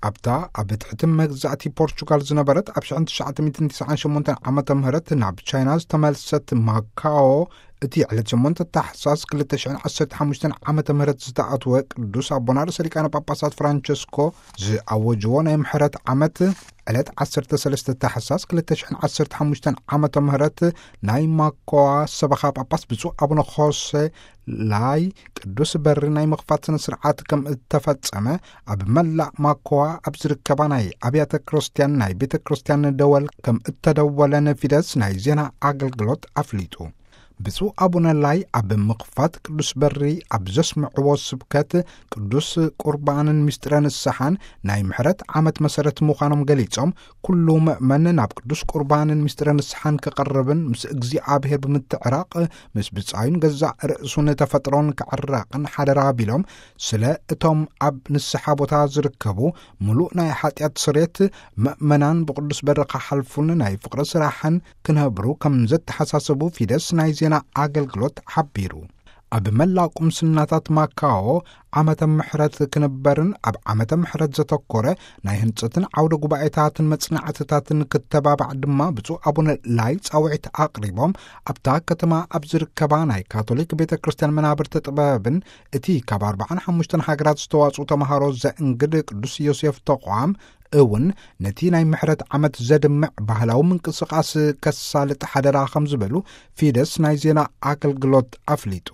ኣብታ ኣብ ትሕቲ መግዛእቲ ፖርቹጋል ዝነበረት ኣብ ሽሕን ትሽዓተ ሚእትን ትስዓን ሸሞንተን ዓመተ ምህረት ናብ ቻይና ዝተመልሰት ማካዎ፣ እቲ ዕለት ሸሞንተ ታሕሳስ ክልተ ሽሕን ዓሰርተ ሓሙሽተን ዓመተ ምህረት ዝተኣትወ ቅዱስ ኣቦና ርእሰ ሊቃነ ጳጳሳት ፍራንቸስኮ ዝኣወጅዎ ናይ ምሕረት ዓመት፣ ዕለት ዓሰርተ ሰለስተ ታሕሳስ ክልተ ሽሕን ዓሰርተ ሓሙሽተን ዓመተ ምህረት ናይ ማኮዋ ሰበኻ ጳጳስ ብፁዕ ኣቡነ ኾሴ ላይ ቅዱስ በሪ ናይ ምኽፋት ስነ ስርዓት ከም እተፈጸመ፣ ኣብ መላእ ማኮዋ ኣብ ዝርከባ ናይ ኣብያተ ክርስቲያን ናይ ቤተ ክርስቲያን ደወል ከም እተደወለን ፊደስ ናይ ዜና ኣገልግሎት ኣፍሊጡ። ብፁዕ ኣቡነ ላይ ኣብ ምኽፋት ቅዱስ በሪ ኣብ ዘስምዕዎ ስብከት፣ ቅዱስ ቁርባንን ምስጢረ ንስሓን ናይ ምሕረት ዓመት መሰረት ምዃኖም ገሊጾም፣ ኩሉ ምእመን ናብ ቅዱስ ቁርባንን ምስጢረ ንስሓን ክቐርብን ምስ እግዚኣብሔር ብምትዕራቕ ምስ ብጻዩን ገዛእ ርእሱን ተፈጥሮን ክዕረቕን ሓደራ ቢሎም፣ ስለ እቶም ኣብ ንስሓ ቦታ ዝርከቡ ምሉእ ናይ ሓጢኣት ስሬት ምእመናን ብቅዱስ በሪ ክሓልፉን ናይ ፍቕሪ ስራሕን ክነብሩ ከም ዘተሓሳሰቡ ፊደስ ናይ ዜና ኣገልግሎት ሓቢሩ። ኣብ መላእ ቁምስናታት ማካዎ ዓመተ ምሕረት ክንበርን ኣብ ዓመተ ምሕረት ዘተኮረ ናይ ህንጸትን ዓውደ ጉባኤታትን መጽናዕትታትን ክተባባዕ ድማ ብፁዕ ኣቡነ ላይ ጻውዒት ኣቕሪቦም፣ ኣብታ ከተማ ኣብ ዝርከባ ናይ ካቶሊክ ቤተ ክርስቲያን መናብርቲ ጥበብን እቲ ካብ ኣርባዓን ሓሙሽተን ሃገራት ዝተዋጽኡ ተምሃሮ ዘእንግድ ቅዱስ ዮሴፍ ተቋም እውን ነቲ ናይ ምሕረት ዓመት ዘድምዕ ባህላዊ ምንቅስቓስ ከሳልጥ ሓደራ ከም ዝበሉ ፊደስ ናይ ዜና ኣገልግሎት ኣፍሊጡ።